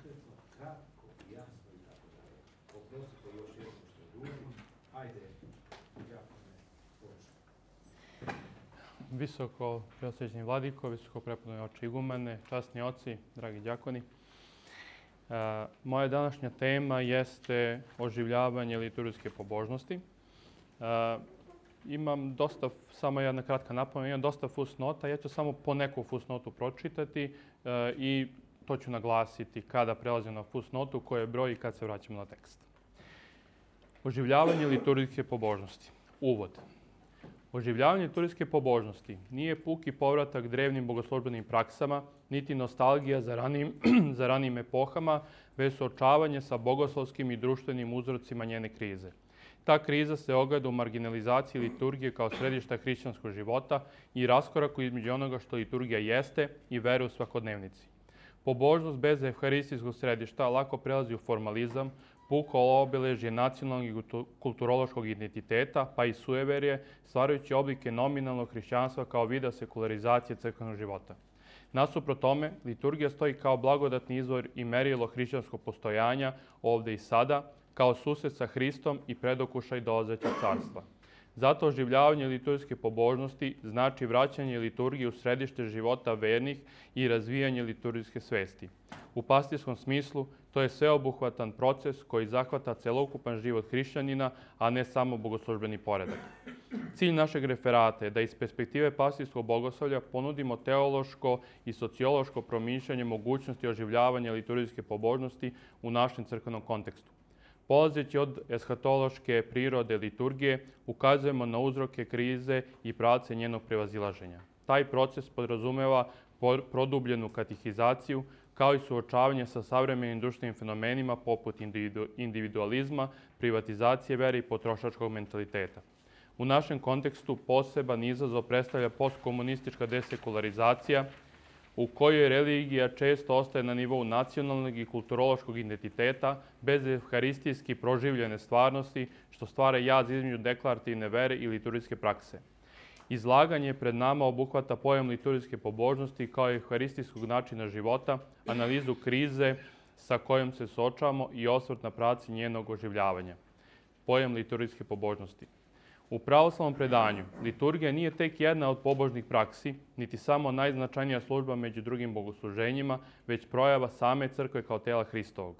konkretno, kratko, jasno i tako dalje. Oprostite još jednom što dužim. Ajde, Đakone, počne. Visoko preosvećeni vladiko, visoko prepodobni oče igumene, časni oci, dragi đakoni. Moja današnja tema jeste oživljavanje liturgijske pobožnosti. Imam dosta, samo jedna kratka napomena, imam dosta fusnota, ja ću samo po neku fusnotu pročitati i to ću naglasiti kada prelazim na fusnotu, koje je broj i kad se vraćamo na tekst. Oživljavanje liturgijske pobožnosti. Uvod. Oživljavanje liturgijske pobožnosti nije puki povratak drevnim bogoslužbenim praksama, niti nostalgija za ranijim epohama, već suočavanje sa bogoslovskim i društvenim uzrocima njene krize. Ta kriza se ogleda u marginalizaciji liturgije kao središta hrišćanskog života i raskoraku između onoga što liturgija jeste i vere u svakodnevnici. Pobožnost bez evharistijskog središta lako prelazi u formalizam, puko obeležje nacionalnog i kulturološkog identiteta, pa i sujeverje, stvarajući oblike nominalnog hrišćanstva kao vida sekularizacije crkvenog života. Nasuprot tome, liturgija stoji kao blagodatni izvor i merilo hrišćanskog postojanja ovde i sada, kao susret sa Hristom i predokušaj dolazećeg carstva. Zato oživljavanje liturgijske pobožnosti znači vraćanje liturgije u središte života vernih i razvijanje liturgijske svesti. U pastirskom smislu, to je sveobuhvatan proces koji zahvata celokupan život hrišćanina, a ne samo bogoslužbeni poredak. Cilj našeg referata je da iz perspektive pastirskog bogoslovlja ponudimo teološko i sociološko promišljanje mogućnosti oživljavanja liturgijske pobožnosti u našem crkvenom kontekstu. Polazeći od eshatološke prirode liturgije, ukazujemo na uzroke krize i pravce njenog prevazilaženja. Taj proces podrazumeva produbljenu katehizaciju, kao i suočavanje sa savremenim društvenim fenomenima poput individualizma, privatizacije vere i potrošačkog mentaliteta. U našem kontekstu poseban izazov predstavlja postkomunistička desekularizacija, u kojoj religija često ostaje na nivou nacionalnog i kulturološkog identiteta, bez evharistijski proživljene stvarnosti, što stvara jaz između deklarativne vere i liturgijske prakse. Izlaganje pred nama obuhvata pojam liturgijske pobožnosti kao i evharistijskog načina života, analizu krize sa kojom se suočavamo i osvrt na pravci njenog oživljavanja. Pojam liturgijske pobožnosti. U pravoslavnom predanju liturgija nije tek jedna od pobožnih praksi, niti samo najznačajnija služba među drugim bogosluženjima, već projava same crkve kao tela Hristovog.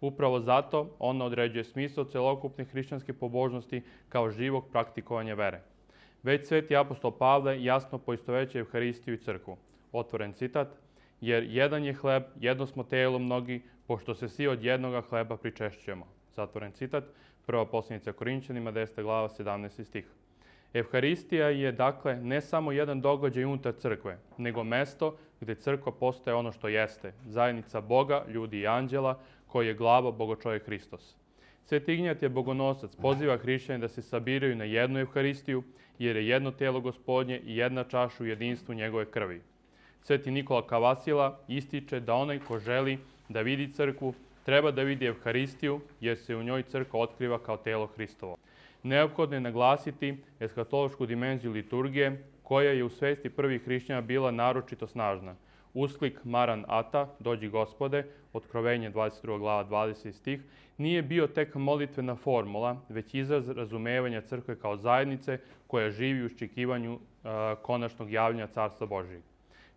Upravo zato ona određuje smisao celokupne hrišćanske pobožnosti kao živog praktikovanja vere. Već sveti apostol Pavle jasno poistovećuje Evharistiju i crkvu. Otvoren citat, jer jedan je hleb, jedno smo telo mnogi, pošto se svi od jednoga hleba pričešćujemo. Zatvoren citat, prva poslanica Korinćanima, 10. glava, 17. stih. Evharistija je, dakle, ne samo jedan događaj unutar crkve, nego mesto gde crkva postaje ono što jeste, zajednica Boga, ljudi i anđela, koji je glava Bogočovjek Hristos. Sveti Ignjat je bogonosac, poziva hrišćane da se sabiraju na jednu Evharistiju, jer je jedno telo Gospodnje i jedna čaša u jedinstvu njegove krvi. Sveti Nikola Kavasila ističe da onaj ko želi da vidi crkvu, treba da vidi Evharistiju, jer se u njoj crkva otkriva kao telo Hristovo. Neophodno je naglasiti eshatološku dimenziju liturgije, koja je u svesti prvih hrišćana bila naročito snažna. Usklik Maran Ata, dođi Gospode, Otkrovenje 22. glava 20. stih, nije bio tek molitvena formula, već izraz razumevanja crkve kao zajednice koja živi u iščekivanju konačnog javljanja Carstva Božijeg.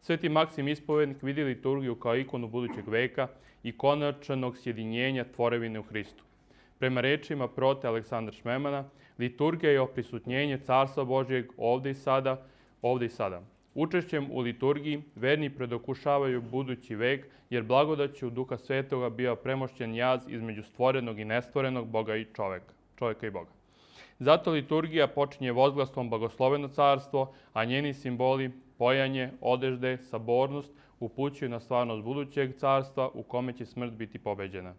Sveti Maksim Ispovednik vidi liturgiju kao ikonu budućeg veka i konačnog sjedinjenja tvorevine u Hristu. Prema rečima prote Aleksandra Šmemana, liturgija je oprisutnjenje Carstva Božijeg ovde i sada. Učešćem u liturgiji verni predokušavaju budući vek, jer blagodaću Duha Svetoga bio premošćen jaz između stvorenog i nestvorenog, Boga i čoveka i Boga. Zato liturgija počinje vozglastom blagosloveno carstvo, a njeni simboli, pojanje, odežde, sabornost, upućuju na stvarnost budućeg carstva u kome će smrt biti pobeđena.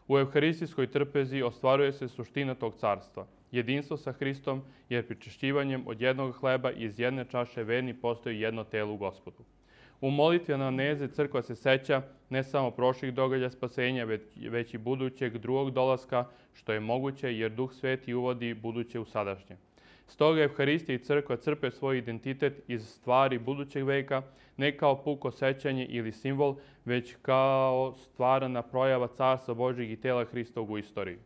U evharistijskoj trpezi ostvaruje se suština tog carstva, jedinstvo sa Hristom, jer pričešćivanjem od jednog hleba iz jedne čaše verni postoji jedno telo u Gospodu. U molitvi anamneze crkva se seća ne samo prošlih događaja spasenja, već i budućeg drugog dolaska, što je moguće jer Duh Sveti uvodi buduće u sadašnje. Stoga Evharistija i crkva crpe svoj identitet iz stvari budućeg veka, ne kao puko sećanje ili simbol, već kao stvarana projava Carstva Božjeg i tela Hristovog u istoriji.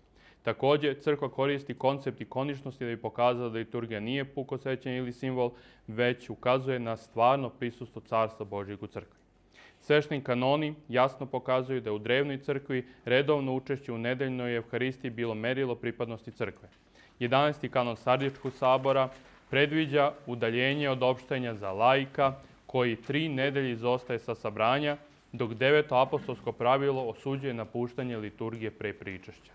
Također, crkva koristi koncept ikoničnosti da bi pokazala da liturgija nije puko sećanje ili simbol, već ukazuje na stvarno prisustvo Carstva Božjeg u crkvi. Svešteni kanoni jasno pokazuju da je u drevnoj crkvi redovno učešće u nedeljnoj Evharistiji bilo merilo pripadnosti crkve. 11. kanon Sardičkog sabora predviđa udaljenje od opštenja za laika, koji 3 nedelje izostaje sa sabranja, dok 9. apostolsko pravilo osuđuje napuštanje liturgije pre pričešća.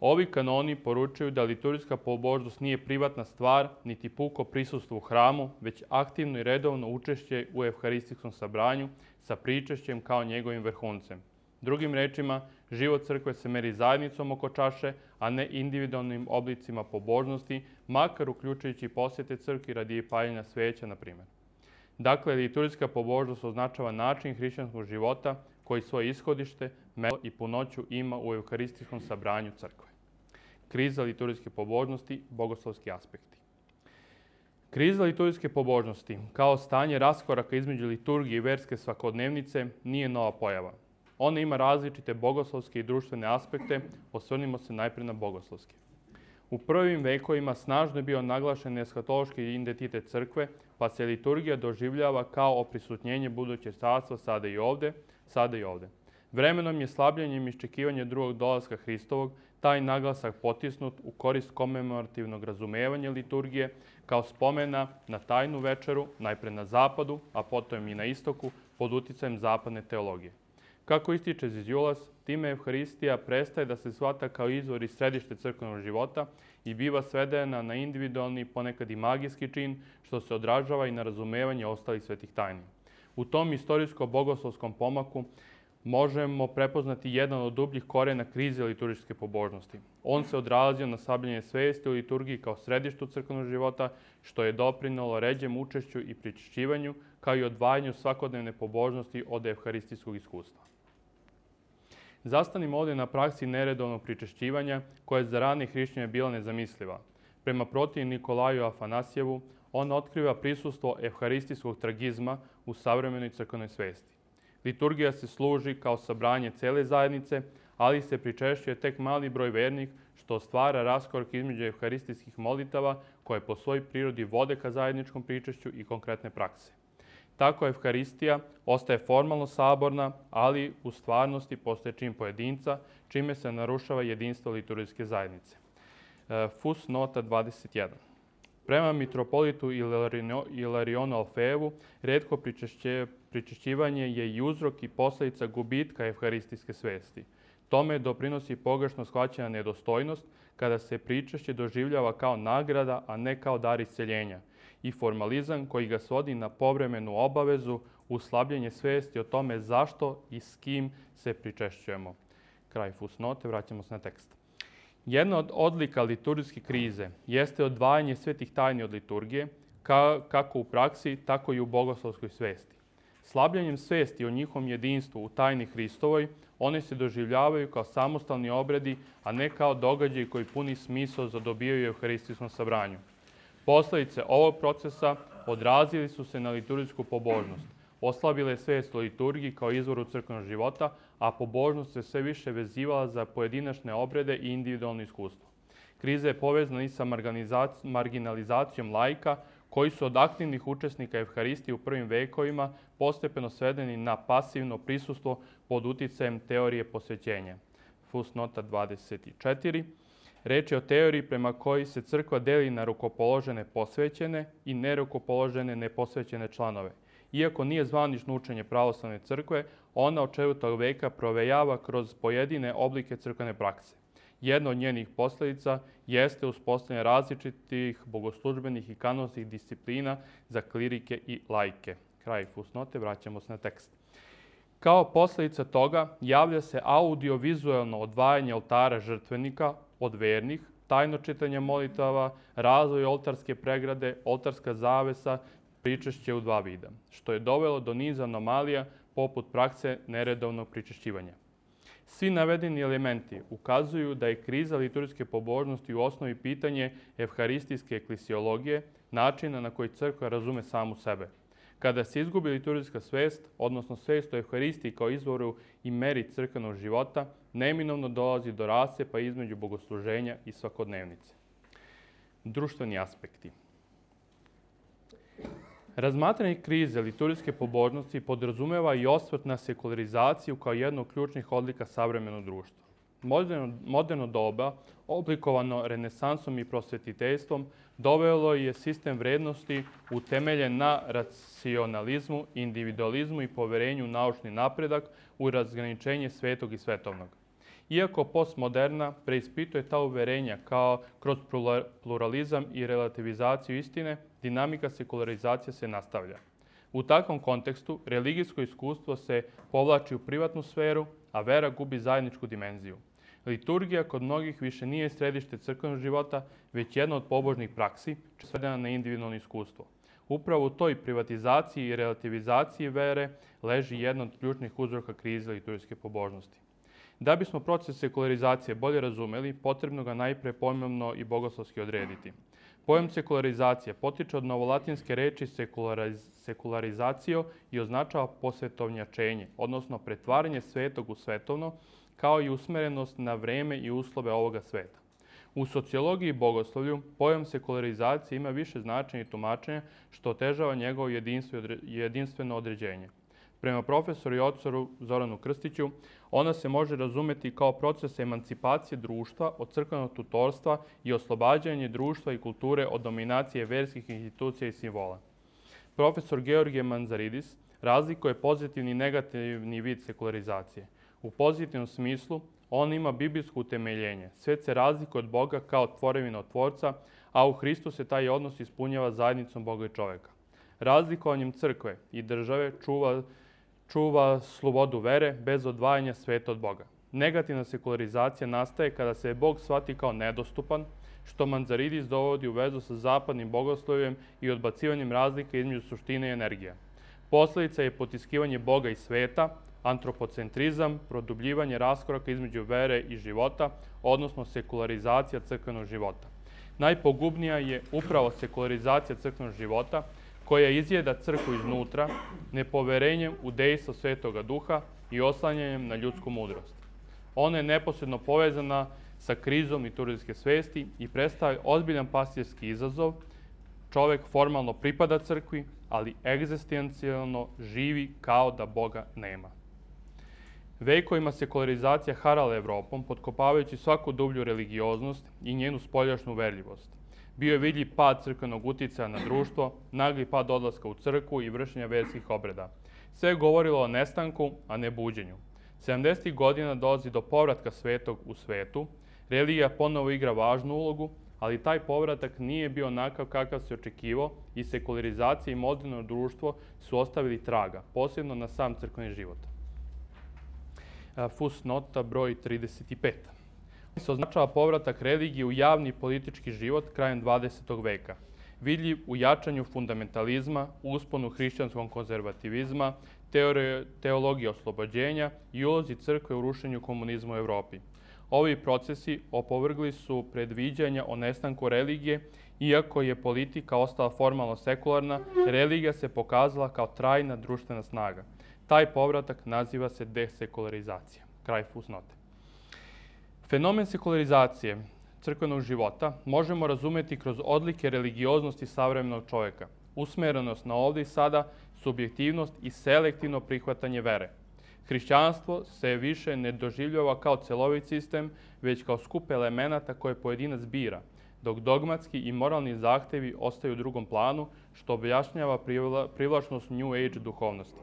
Ovi kanoni poručuju da liturgijska pobožnost nije privatna stvar, niti puko prisustvo u hramu, već aktivno i redovno učešće u evharistijskom sabranju sa pričešćem kao njegovim vrhuncem. Drugim rečima, život crkve se meri zajednicom oko čaše, a ne individualnim oblicima pobožnosti, makar uključujući posjete crkvi radi paljenja sveća, na primjer. Dakle, liturgijska pobožnost označava način hrišćanskog života koji svoje ishodište, mesto i punoću ima u evharistijskom sabranju crkve. Kriza liturgijske pobožnosti, bogoslovski aspekti. Kriza liturgijske pobožnosti, kao stanje raskoraka između liturgije i verske svakodnevnice, nije nova pojava. Ona ima različite bogoslovske i društvene aspekte, osvrnimo se najprije na bogoslovske. U prvim vekovima snažno je bio naglašen eskatološki identitet crkve, pa se liturgija doživljava kao oprisutnjenje budućeg carstva sada i ovde. Vremenom je slabljenjem iščekivanja drugog dolaska Hristovog taj naglasak potisnut u korist komemorativnog razumevanja liturgije kao spomena na tajnu večeru, najpre na zapadu, a potom i na istoku, pod uticajem zapadne teologije. Kako ističe Ziziulas, time Evharistija prestaje da se shvata kao izvor i središte crkvenog života i biva svedena na individualni, ponekad i magijski čin, što se odražava i na razumevanje ostalih svetih tajni. U tom istorijsko-bogoslovskom pomaku možemo prepoznati jedan od dubljih korena krize liturgijske pobožnosti. On se odrazio na slabljenje svesti u liturgiji kao središtu crkvenog života, što je doprinelo ređem učešću i pričešćivanju, kao i odvajanju svakodnevne pobožnosti od evharistijskog iskustva. Zastanimo ovdje na praksi neredovnog pričešćivanja, koja je za rane hrišćane bila nezamisliva. Prema protiv Nikolaju Afanasijevu, on otkriva prisustvo evharistijskog tragizma u savremenoj crkvenoj svesti. Liturgija se služi kao sabranje cele zajednice, ali se pričešćuje tek mali broj vernih, što stvara raskorak između evharistijskih molitava koje po svojoj prirodi vode ka zajedničkom pričešću i konkretne prakse. Tako Evharistija ostaje formalno saborna, ali u stvarnosti postaje čin pojedinca, čime se narušava jedinstvo liturgijske zajednice. Fus nota 21. Prema mitropolitu Ilarionu Alfejevu, retko pričešćivanje je i uzrok i posljedica gubitka evharistijske svesti. Tome doprinosi pogrešno shvaćena nedostojnost, kada se pričešće doživljava kao nagrada, a ne kao dar isceljenja, i formalizam koji ga svodi na povremenu obavezu uz slabljenje svesti o tome zašto i s kim se pričešćujemo. Kraj fusnote, vraćamo se na tekst. Jedna od odlika liturgijske krize jeste odvajanje svetih tajni od liturgije, kako u praksi, tako i u bogoslovskoj svesti. Slabljenjem svesti o njihovom jedinstvu u tajni Hristovoj, one se doživljavaju kao samostalni obredi, a ne kao događaj koji puni smisao zadobijaju u evharistijskom sabranju. Posledice ovog procesa odrazili su se na liturgijsku pobožnost. Oslabila je svest o liturgiji kao izvoru crkvenog života, a pobožnost se sve više vezivala za pojedinačne obrede i individualno iskustvo. Kriza je povezana i sa marginalizacijom laika, koji su od aktivnih učesnika Evharistije u prvim vekovima postepeno svedeni na pasivno prisustvo pod uticajem teorije posvećenja. Fusnota 24. Reč je o teoriji prema kojoj se crkva deli na rukopoložene posvećene i nerukopoložene neposvećene članove. Iako nije zvanično učenje pravoslavne crkve, ona od 4. veka provejava kroz pojedine oblike crkvene prakse. Jedna od njenih posljedica jeste uspostavljanje različitih bogoslužbenih i kanonskih disciplina za klirike i laike. Kraj fusnote, vraćamo se na tekst. Kao posljedica toga javlja se audiovizualno odvajanje oltara žrtvenika od vernih, tajno čitanje molitava, razvoj oltarske pregrade, oltarska zavesa, pričešće u 2 vida, što je dovelo do niza anomalija poput prakse neredovnog pričešćivanja. Svi navedeni elementi ukazuju da je kriza liturgijske pobožnosti u osnovi pitanje evharistijske eklesiologije, načina na koji crkva razume samu sebe. Kada se izgubi liturgijska svest, odnosno svest o evharistiji kao izvoru i meri crkvenog života, neminovno dolazi do rascepa između bogosluženja i svakodnevnice. Društveni aspekti. Razmatranje krize liturgijske pobožnosti podrazumeva i osvrt na sekularizaciju kao jednu od ključnih odlika savremenog društva. Moderno doba, oblikovano renesansom i prosvetiteljstvom, dovelo je sistem vrednosti utemeljen na racionalizmu, individualizmu i poverenju u naučni napredak u razgraničenje svetog i svetovnog. Iako postmoderna preispituje ta uverenja kao kroz pluralizam i relativizaciju istine, dinamika sekularizacije se nastavlja. U takvom kontekstu religijsko iskustvo se povlači u privatnu sferu, a vera gubi zajedničku dimenziju. Liturgija kod mnogih više nije središte crkvenog života, već jedna od pobožnih praksi, svedena na individualno iskustvo. Upravo u toj privatizaciji i relativizaciji vere leži jedna od ključnih uzroka krize liturgijske pobožnosti. Da bismo proces sekularizacije bolje razumeli, potrebno ga najpre pojmovno i bogoslovski odrediti. Pojam sekularizacije potiče od novolatinske reči sekularizacio i označava posvetovnjačenje, odnosno pretvaranje svetog u svetovno, kao i usmerenost na vreme i uslove ovoga sveta. U sociologiji i bogoslovlju pojam sekularizacije ima više značenja i tumačenja, što otežava njegovo jedinstveno određenje. Prema profesoru i otcoru Zoranu Krstiću, ona se može razumeti kao proces emancipacije društva od crkvenog tutorstva i oslobađanje društva i kulture od dominacije verskih institucija i simbola. Profesor Georgije Manzaridis razlikuje pozitivni i negativni vid sekularizacije. U pozitivnom smislu, on ima biblijsko utemeljenje. Svet se razlikuje od Boga kao tvorevina od Tvorca, a u Hristu se taj odnos ispunjava zajednicom Boga i čoveka. Razlikovanjem crkve i države čuva slobodu vere bez odvajanja sveta od Boga. Negativna sekularizacija nastaje kada se Bog shvati kao nedostupan, što Manzaridis dovodi u vezu sa zapadnim bogoslovjem i odbacivanjem razlike između suštine i energije. Posledica je potiskivanje Boga i sveta, antropocentrizam, produbljivanje raskoraka između vere i života, odnosno sekularizacija crkvenog života. Najpogubnija je upravo sekularizacija crkvenog života, koja izjeda crkvu iznutra, nepoverenjem u dejstvo Svetoga Duha i oslanjanjem na ljudsku mudrost. Ona je neposredno povezana sa krizom liturgijske svesti i predstavlja ozbiljan pastirski izazov. Čovek formalno pripada crkvi, ali egzistencijalno živi kao da Boga nema. Vekovima sekularizacija harala Evropom, potkopavajući svaku dublju religioznost i njenu spoljašnju uverljivost. Bio je vidljiv pad crkvenog uticaja na društvo, nagli pad odlaska u crkvu i vršenja verskih obreda. Sve je govorilo o nestanku, a ne buđenju. 70. godina dolazi do povratka svetog u svetu, religija ponovo igra važnu ulogu, ali taj povratak nije bio onakav kakav se očekivao i sekularizacija i moderno društvo su ostavili traga, posebno na sam crkveni život. Fusnota broj 35. Se označava povratak religije u javni i politički život krajem 20. veka, vidljiv u jačanju fundamentalizma, usponu hrišćanskog konzervativizma, teologije oslobođenja i ulozi crkve u rušenju komunizma u Evropi. Ovi procesi opovrgli su predviđanja o nestanku religije, iako je politika ostala formalno sekularna, religija se pokazala kao trajna društvena snaga. Taj povratak naziva se desekularizacija. Kraj fusnote. Fenomen sekularizacije crkvenog života možemo razumeti kroz odlike religioznosti savremenog čoveka, usmerenost na ovde i sada, subjektivnost i selektivno prihvatanje vere. Hrišćanstvo se više ne doživljava kao celovit sistem, već kao skup elemenata koje pojedinac bira, dok dogmatski i moralni zahtevi ostaju u drugom planu, što objašnjava privlačnost New Age duhovnosti.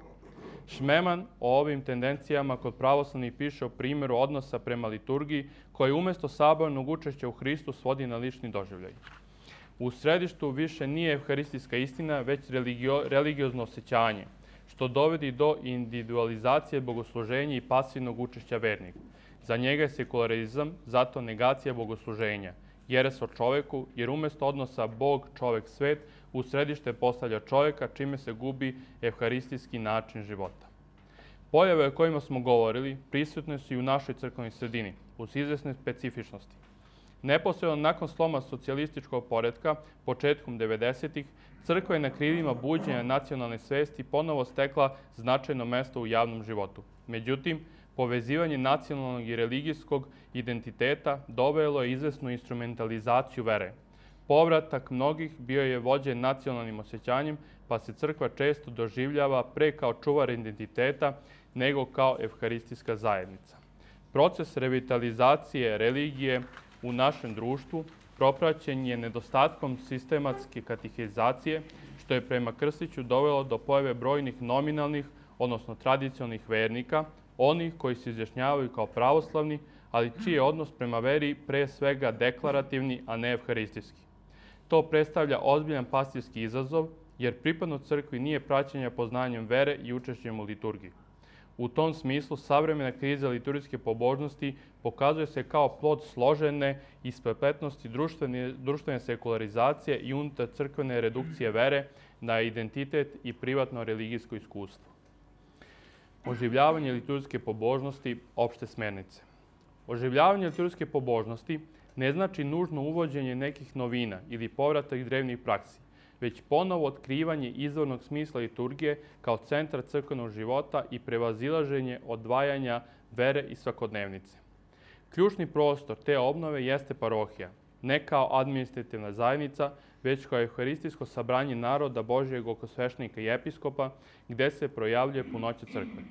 Šmeman o ovim tendencijama kod pravoslavnih piše o primjeru odnosa prema liturgiji, koji umjesto sabornog učešća u Hristu svodi na lični doživljaj. U središtu više nije evharistijska istina, već religiozno osjećanje, što dovodi do individualizacije bogosluženja i pasivnog učešća vernika. Za njega je sekularizam zato negacija bogosluženja, jeres o čoveku, jer umjesto odnosa Bog, čovek, svet, u središte postavlja čoveka, čime se gubi evharistijski način života. Pojave o kojima smo govorili prisutne su i u našoj crkvenoj sredini, uz izvesne specifičnosti. Neposredno nakon sloma socijalističkog poretka, početkom 90-ih, crkva je na krilima buđenja nacionalne svesti ponovo stekla značajno mesto u javnom životu. Međutim, povezivanje nacionalnog i religijskog identiteta dovelo je izvesnu instrumentalizaciju vere. Povratak mnogih bio je vođen nacionalnim osjećanjem, pa se crkva često doživljava pre kao čuvar identiteta nego kao evharistijska zajednica. Proces revitalizacije religije u našem društvu propraćen je nedostatkom sistematske katehizacije, što je prema Krstiću dovelo do pojave brojnih nominalnih, odnosno tradicionalnih vernika, onih koji se izjašnjavaju kao pravoslavni, ali čiji je odnos prema veri pre svega deklarativni, a ne evharistijski. To predstavlja ozbiljan pastirski izazov, jer pripadnost crkvi nije praćenja poznanjem vere i učešćem u liturgiji. U tom smislu, savremena kriza liturgijske pobožnosti pokazuje se kao plod složene isprepletnosti društvene sekularizacije i unutar crkvene redukcije vere na identitet i privatno religijsko iskustvo. Oživljavanje liturgijske pobožnosti, opšte smernice. Oživljavanje liturgijske pobožnosti ne znači nužno uvođenje nekih novina ili povratak drevnih praksi, već ponovo otkrivanje izvornog smisla liturgije kao centra crkvenog života i prevazilaženje odvajanja vere i svakodnevnice. Ključni prostor te obnove jeste parohija, ne kao administrativna zajednica, već kao evharistijsko sabranje naroda Božjeg oko sveštenika i episkopa, gde se projavljuje punoća crkve.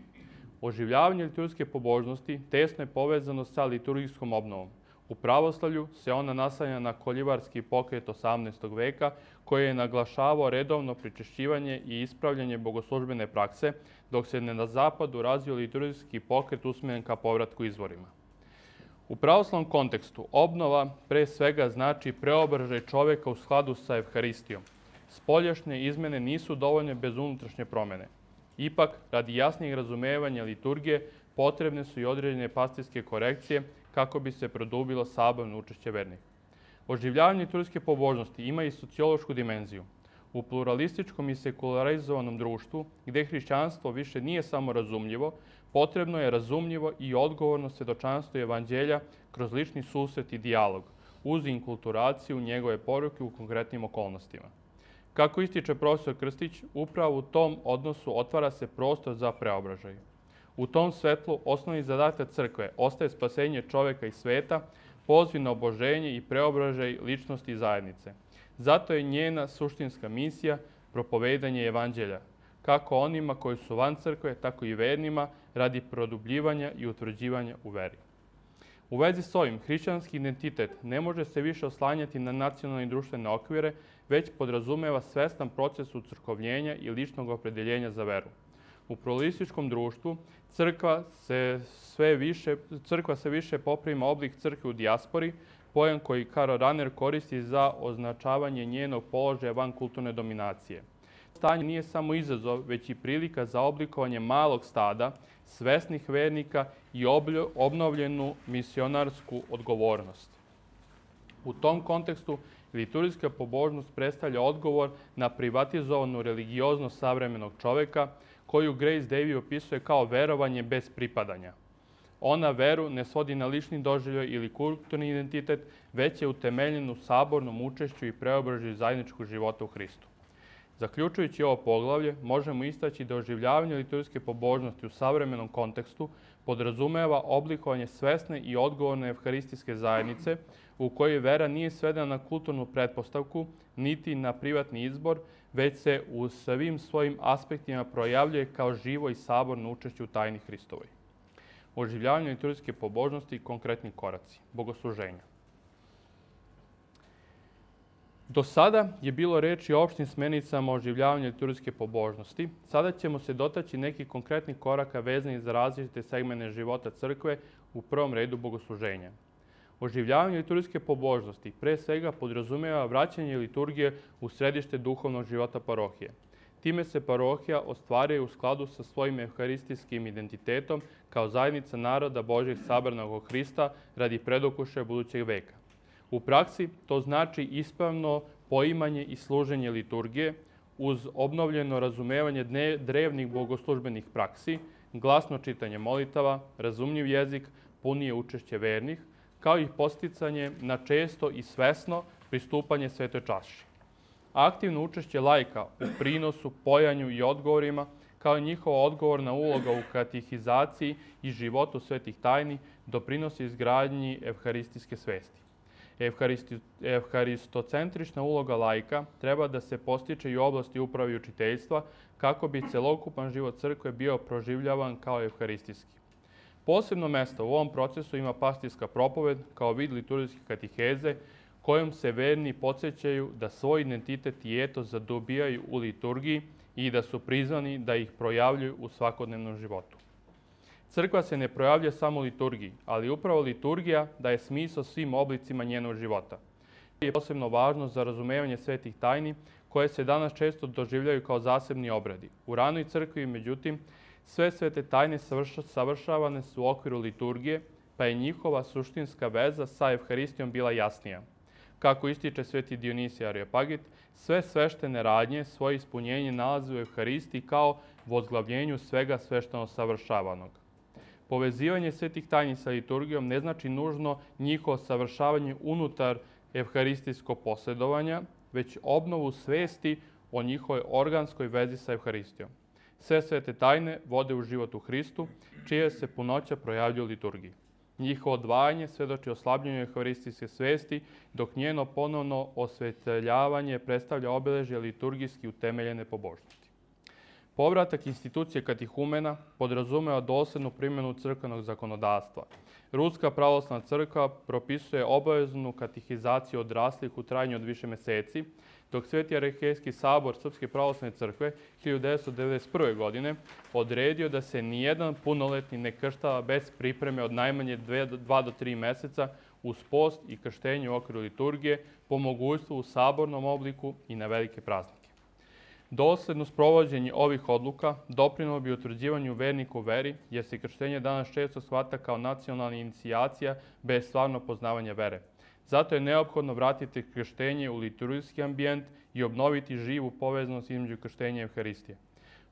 Oživljavanje liturgijske pobožnosti tesno je povezano sa liturgijskom obnovom. U pravoslavlju se ona naslanja na koljivarski pokret 18. veka, koji je naglašavao redovno pričešćivanje i ispravljanje bogoslužbene prakse, dok se na zapadu razvio liturgijski pokret usmeren ka povratku izvorima. U pravoslavnom kontekstu obnova pre svega znači preobražaj čoveka u skladu sa evharistijom. Spoljašnje izmene nisu dovoljne bez unutrašnje promene. Ipak, radi jasnijeg razumevanja liturgije, potrebne su i određene pastirske korekcije kako bi se produbilo saborno učešće vernika. Oživljavanje liturgijske pobožnosti ima i sociološku dimenziju. U pluralističkom i sekularizovanom društvu, gde hrišćanstvo više nije samo razumljivo, potrebno je razumljivo i odgovorno svedočanstvo evanđelja kroz lični susret i dijalog, uz inkulturaciju njegove poruke u konkretnim okolnostima. Kako ističe profesor Krstić, upravo u tom odnosu otvara se prostor za preobražaj. U tom svetlu osnovni zadatak crkve ostaje spasenje čoveka i sveta, poziv na oboženje i preobražaj ličnosti i zajednice. Zato je njena suštinska misija propovedanje evanđelja, kako onima koji su van crkve, tako i vernima, radi produbljivanja i utvrđivanja u veri. U vezi s ovim, hrišćanski identitet ne može se više oslanjati na nacionalne i društvene okvire, već podrazumeva svestan proces ucrkovljenja i ličnog opredeljenja za veru. U pluralističkom društvu crkva se više poprima oblik crkve u dijaspori, pojam koji Karl Rahner koristi za označavanje njenog položaja van kulturne dominacije. Stanje nije samo izazov, već i prilika za oblikovanje malog stada, svesnih vernika i obnovljenu misionarsku odgovornost. U tom kontekstu, liturgijska pobožnost predstavlja odgovor na privatizovanu religioznost savremenog čoveka, koju Grace Davy opisuje kao verovanje bez pripadanja. Ona veru ne svodi na lični doživljaj ili kulturni identitet, već je utemeljen u sabornom učešću i preobražaju zajedničkog života u Hristu. Zaključujući ovo poglavlje, možemo istaći da oživljavanje liturgijske pobožnosti u savremenom kontekstu podrazumeva oblikovanje svesne i odgovorne evharistijske zajednice, u kojoj vera nije svedena na kulturnu pretpostavku, niti na privatni izbor, već se u svim svojim aspektima projavljuje kao živo i saborno učešće u tajni Hristovoj. Oživljavanje liturgijske pobožnosti i konkretni koraci. Bogosluženja. Do sada je bilo reči o opštim smernicama oživljavanja liturgijske pobožnosti. Sada ćemo se dotaći nekih konkretnih koraka vezanih za različite segmente života crkve, u prvom redu bogosluženja. Oživljavanje liturgijske pobožnosti pre svega podrazumeva vraćanje liturgije u središte duhovnog života parohije. Time se parohija ostvaruje u skladu sa svojim evharistijskim identitetom kao zajednica naroda Božjeg sabranog oko Hrista radi predokušaja budućeg veka. U praksi to znači ispravno poimanje i služenje liturgije uz obnovljeno razumevanje drevnih bogoslužbenih praksi, glasno čitanje molitava, razumljiv jezik, punije učešće vernih, kao i posticanje na često i svesno pristupanje svetoj čaši. Aktivno učešće laika u prinosu, pojanju i odgovorima, kao i njihova odgovorna uloga u katehizaciji i životu svetih tajni, doprinosi izgradnji evharistijske svesti. Evharistocentrična uloga laika treba da se postiče i u oblasti uprave i učiteljstva, kako bi celokupan život crkve bio proživljavan kao evharistijski. Posebno mesto u ovom procesu ima pastirska propoved kao vid liturgijske katiheze, kojom se verni podsjećaju da svoj identitet i etos zadobijaju u liturgiji i da su prizvani da ih projavljuju u svakodnevnom životu. Crkva se ne projavlja samo u liturgiji, ali upravo liturgija daje smisao svim oblicima njenog života. Je posebno važno za razumevanje svetih tajni, koje se danas često doživljaju kao zasebni obredi. U ranoj crkvi, međutim, sve svete tajne savršavane su u okviru liturgije, pa je njihova suštinska veza sa Evharistijom bila jasnija. Kako ističe sveti Dionisije Areopagit, sve sveštene radnje svoje ispunjenje nalaze u Evharistiji kao vozglavljenju svega svešteno savršavanog. Povezivanje svetih tajni sa liturgijom ne znači nužno njihovo savršavanje unutar evharistijskog posjedovanja, već obnovu svesti o njihovoj organskoj vezi sa Evharistijom. Sve svete tajne vode u život u Hristu, čija se punoća projavljuje u liturgiji. Njihovo odvajanje svedoči o slabljenju evharistijske svesti, dok njeno ponovno osvetljavanje predstavlja obeležje liturgijski utemeljene pobožnosti. Povratak institucije katihumena podrazumeva doslednu primjenu crkvenog zakonodavstva. Ruska pravoslavna crkva propisuje obaveznu katehizaciju odraslih u trajanju od više meseci, dok Sveti Arhijejski sabor Srpske pravoslavne crkve 1991. godine odredio da se nijedan punoletni ne krštava bez pripreme od najmanje 2 do 3 meseca uz post i krštenje u okviru liturgije, po mogućstvu u sabornom obliku i na velike praznike. Dosledno sprovođenje ovih odluka doprinelo bi utvrđivanju vernika u veri, jer se krštenje danas često shvata kao nacionalna inicijacija bez stvarno poznavanja vere. Zato je neophodno vratiti krštenje u liturgijski ambijent i obnoviti živu povezanost između krštenja i Evharistije.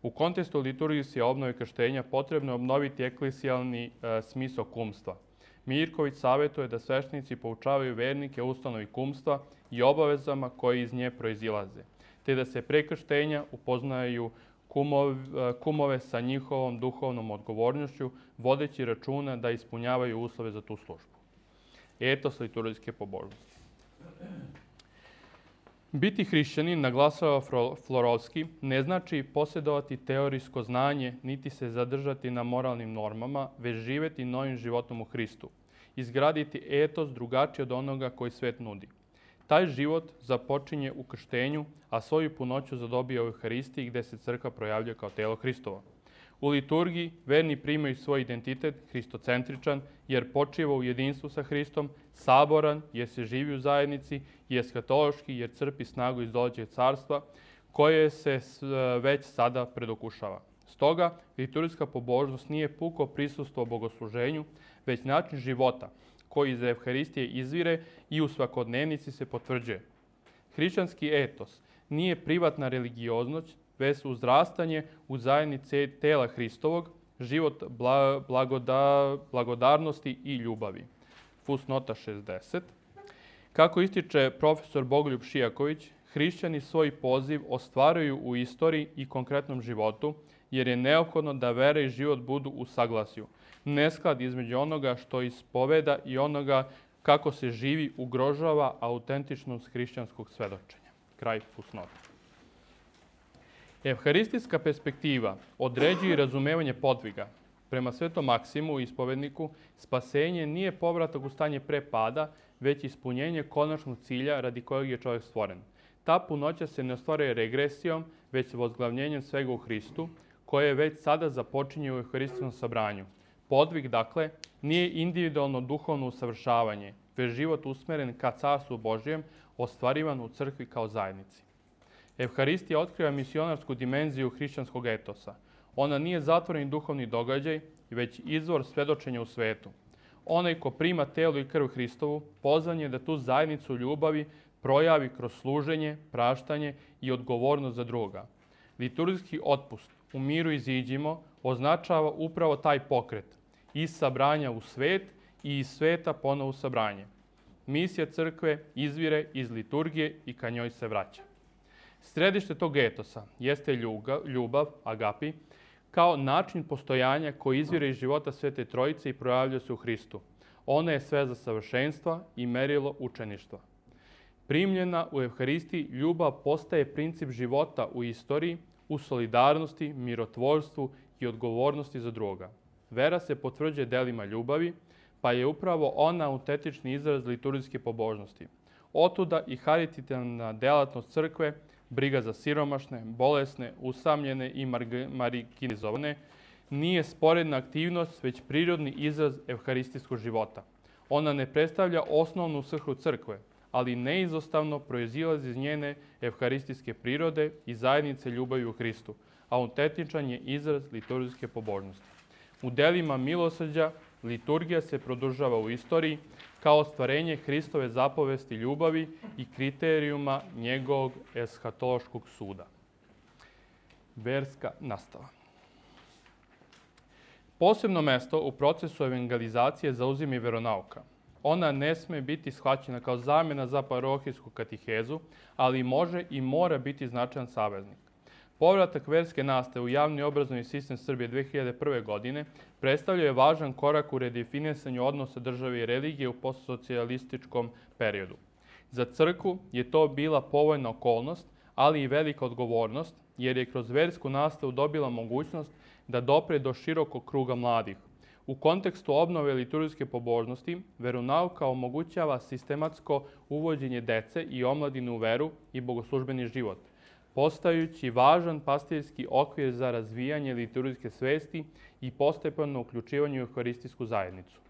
U kontekstu liturgijske obnove krštenja potrebno je obnoviti eklesijalni smisao kumstva. Mirković savjetuje da sveštenici poučavaju vernike o ustanovi kumstva i obavezama koje iz nje proizilaze, te da se pre krštenja upoznaju kumove sa njihovom duhovnom odgovornošću, vodeći računa da ispunjavaju uslove za tu službu. Etos liturgijske pobožnosti. Biti hrišćanin, naglasava Florovski, ne znači posjedovati teorijsko znanje, niti se zadržati na moralnim normama, već živeti novim životom u Hristu. Izgraditi etos drugačiji od onoga koji svet nudi. Taj život započinje u krštenju, a svoju punoću zadobija u Evharistiji, gde se crkva projavlja kao telo Hristovo. U liturgiji verni primaju svoj identitet hristocentričan, jer počiva u jedinstvu sa Hristom, saboran, jer se živi u zajednici, i eskatološki, jer crpi snagu iz dolećeg carstva, koje se već sada predokušava. Stoga, liturgijska pobožnost nije puko prisustvo bogosluženju, već način života, koji iz Evharistije izvire i u svakodnevnici se potvrđuje. Hrišćanski etos nije privatna religioznost, već uzrastanje u zajednici tela Hristovog, život blagodarnosti i ljubavi. Fusnota 60. Kako ističe profesor Bogoljub Šijaković, hrišćani svoj poziv ostvaruju u istoriji i konkretnom životu, jer je neophodno da vera i život budu u saglasju. Nesklad između onoga što ispoveda i onoga kako se živi ugrožava autentičnost hrišćanskog svedočenja. Kraj fusnota. Evharistijska perspektiva određuje i razumevanje podviga. Prema Svetom Maksimu, ispovedniku, spasenje nije povratak u stanje pre pada, već ispunjenje konačnog cilja radi kojeg je čovjek stvoren. Ta punoća se ne ostvaruje regresijom, već vozglavljenjem svega u Hristu, koje već sada započinje u Evharistijskom sabranju. Podvig, dakle, nije individualno duhovno usavršavanje, već život usmeren ka Carstvu Božijem, ostvarivan u crkvi kao zajednici. Evharistija otkriva misionarsku dimenziju hrišćanskog etosa. Ona nije zatvoreni duhovni događaj, već izvor svedočenja u svetu. Onaj ko prima telo i krv Hristovu, pozvan je da tu zajednicu ljubavi projavi kroz služenje, praštanje i odgovornost za druga. Liturgijski otpust, u miru iziđimo označava upravo taj pokret. Iz sabranja u svet i iz sveta ponovo u sabranje. Misija crkve izvire iz liturgije i ka njoj se vraća. Središte tog etosa jeste ljubav, agapi, kao način postojanja koji izvire iz života Svete Trojice i projavljuje se u Hristu. Ona je sve za savršenstva i merilo učeništva. Primljena u Evharistiji, ljubav postaje princip života u istoriji, u solidarnosti, mirotvorstvu i odgovornosti za druga. Vera se potvrđuje delima ljubavi, pa je upravo ona autentični izraz liturgijske pobožnosti. Otuda i haritativna delatnost crkve, briga za siromašne, bolesne, usamljene i marginalizovane, nije sporedna aktivnost, već prirodni izraz evharistijskog života. Ona ne predstavlja osnovnu svrhu crkve, ali neizostavno proizilazi iz njene evharistijske prirode i zajednice ljubavi u Hristu. Autentičan je izraz liturgijske pobožnosti. U delima milosrđa liturgija se produžava u istoriji kao ostvarenje Hristove zapovesti ljubavi i kriterijuma njegovog eshatološkog suda. Verska nastava. Posebno mesto u procesu evangelizacije zauzima i veronauka. Ona ne sme biti shvaćena kao zamjena za parohijsku katehezu, ali može i mora biti značajan saveznik. Povratak verske nastave u javni obrazovni sistem Srbije 2001. godine predstavljao je važan korak u redefinisanju odnosa države i religije u postsocijalističkom periodu. Za crkvu je to bila povoljna okolnost, ali i velika odgovornost, jer je kroz versku nastavu dobila mogućnost da dopre do širokog kruga mladih. U kontekstu obnove liturgijske pobožnosti, veronauka omogućava sistematsko uvođenje dece i omladine u veru i bogoslužbeni život, postajući važan pastirski okvir za razvijanje liturgijske svesti i postepeno uključivanje u evharistijsku zajednicu.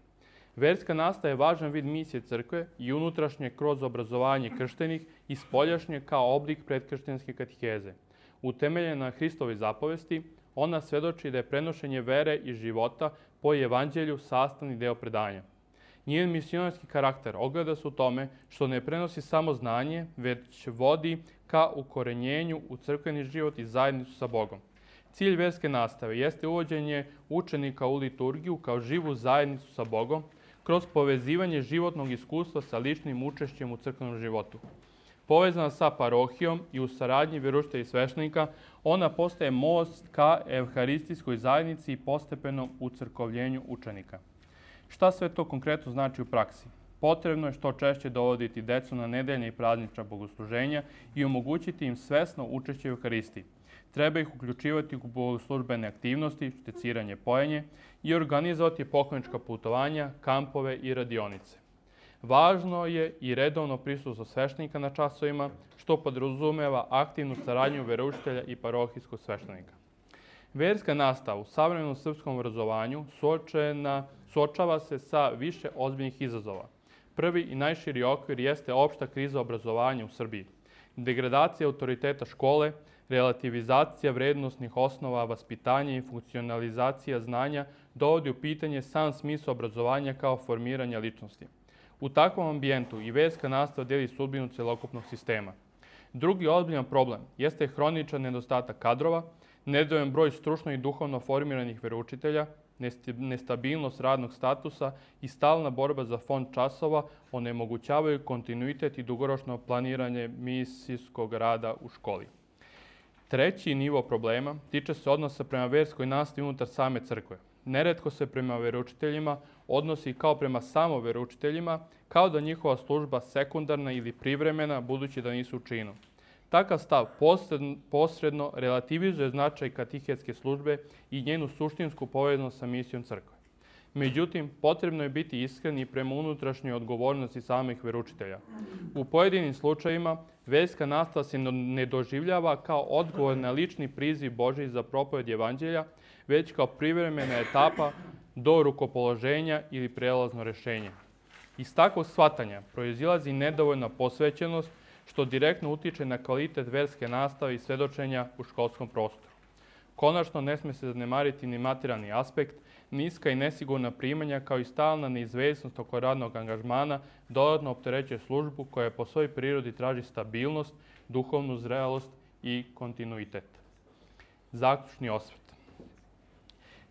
Verska nastava je važan vid misije crkve i unutrašnje kroz obrazovanje krštenih i spoljašnje kao oblik predkrštenske kateheze. Utemeljena na Hristovoj zapovesti, ona svedoči da je prenošenje vere i života po evanđelju sastavni deo predanja. Njen misionarski karakter ogleda se u tome što ne prenosi samo znanje, već vodi ka ukorenjenju u crkveni život i zajednicu sa Bogom. Cilj verske nastave jeste uvođenje učenika u liturgiju kao živu zajednicu sa Bogom kroz povezivanje životnog iskustva sa ličnim učešćem u crkvenom životu. Povezana sa parohijom i u saradnji veroučitelja i sveštenika, ona postaje most ka evharistijskoj zajednici i postepenom ucrkovljenju učenika. Šta sve to konkretno znači u praksi? Potrebno je što češće dovoditi decu na nedeljne i praznična bogosluženja i omogućiti im svesno učešće u Evharistiji. Treba ih uključivati u bogoslužbene aktivnosti, šteciranje, pojenje i organizovati poklonička putovanja, kampove i radionice. Važno je i redovno prisustvo sveštenika na časovima, što podrazumeva aktivnu saradnju veroučitelja i parohijskog sveštenika. Verska nastava u savremenom srpskom obrazovanju suočava se sa više ozbiljnih izazova. Prvi i najširi okvir jeste opšta kriza obrazovanja u Srbiji. Degradacija autoriteta škole, relativizacija vrednosnih osnova vaspitanja i funkcionalizacija znanja dovodi u pitanje sam smisao obrazovanja kao formiranja ličnosti. U takvom ambijentu i verska nastava deli sudbinu celokupnog sistema. Drugi ozbiljan problem jeste hroničan nedostatak kadrova, nedovoljan broj stručno i duhovno formiranih veroučitelja, nestabilnost radnog statusa i stalna borba za fond časova onemogućavaju kontinuitet i dugoročno planiranje misijskog rada u školi. Treći nivo problema tiče se odnosa prema verskoj nastavi unutar same crkve. Neretko se prema veroučiteljima odnosi kao prema samo veroučiteljima, kao da njihova služba sekundarna ili privremena, budući da nisu u činu. Takav stav posredno relativizuje značaj katehetske službe i njenu suštinsku povezanost sa misijom crkve. Međutim, potrebno je biti iskren i prema unutrašnjoj odgovornosti samih veroučitelja. U pojedinim slučajevima, verska nastava se ne doživljava kao odgovor na lični priziv Božji za propoved evanđelja, već kao privremena etapa do rukopoloženja ili prelazno rešenje. Iz takvog shvatanja proizilazi nedovoljna posvećenost, što direktno utiče na kvalitet verske nastave i svedočenja u školskom prostoru. Konačno, ne sme se zanemariti ni materijalni aspekt, niska i nesigurna primanja kao i stalna neizvesnost oko radnog angažmana dodatno opterećuje službu koja po svojoj prirodi traži stabilnost, duhovnu zrelost i kontinuitet. Zaključni osvrt.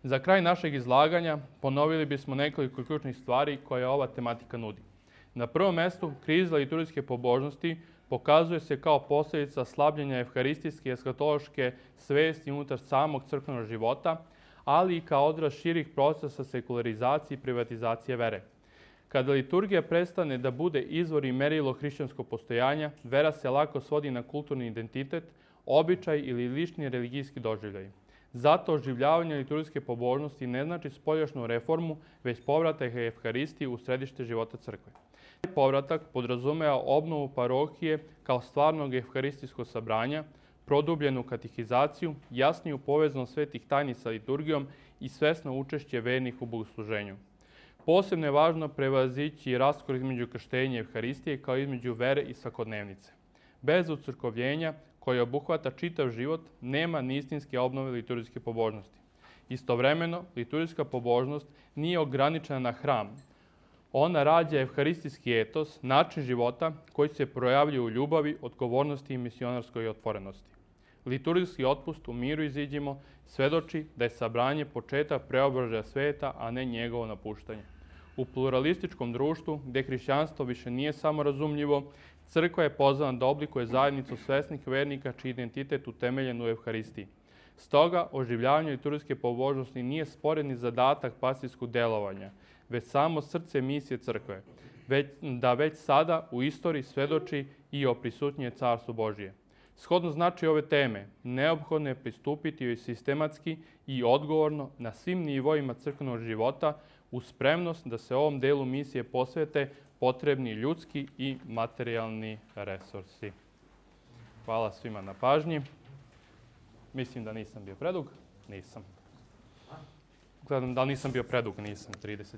Za kraj našeg izlaganja ponovili bismo nekoliko ključnih stvari koje ova tematika nudi. Na prvom mjestu, kriza liturgijske pobožnosti pokazuje se kao posljedica slabljenja evharistijske i eskatološke svesti unutar samog crkvenog života, ali i kao odraz širih procesa sekularizacije i privatizacije vere. Kada liturgija prestane da bude izvor i merilo hrišćanskog postojanja, vera se lako svodi na kulturni identitet, običaj ili lični religijski doživljaj. Zato oživljavanje liturgijske pobožnosti ne znači spoljašnju reformu, već povratak evharistiji u središte života crkve. Taj povratak podrazumeva obnovu parohije kao stvarnog evharistijskog sabranja, produbljenu katehizaciju, jasniju povezanost svetih tajni sa liturgijom i svesno učešće vernih u bogosluženju. Posebno je važno prevazići raskor između krštenja i evharistije kao između vere i svakodnevnice. Bez ucrkovljenja koje obuhvata čitav život, nema ni istinske obnove liturgijske pobožnosti. Istovremeno, liturgijska pobožnost nije ograničena na hram. Ona rađa evharistijski etos, način života koji se projavljuje u ljubavi, odgovornosti i misionarskoj otvorenosti. Liturgijski otpust u miru iziđimo svedoči da je sabranje početak preobražaja sveta, a ne njegovo napuštanje. U pluralističkom društvu, gdje hrišćanstvo više nije samo razumljivo, crkva je pozvana da oblikuje zajednicu svesnih vernika čiji identitet utemeljen u evharistiji. Stoga, oživljavanje liturgijske pobožnosti nije sporedni zadatak pastirskog delovanja, već samo srce misije crkve, već sada u istoriji svedoči i o prisutnje Carstvu Božije. Shodno znači ove teme, neophodno je pristupiti joj sistematski i odgovorno na svim nivoima crkvenog života uz spremnost da se ovom delu misije posvete potrebni ljudski i materijalni resursi. Hvala svima na pažnji. Mislim da nisam bio predug. Nisam. Gledam da nisam bio predug, nisam. 31.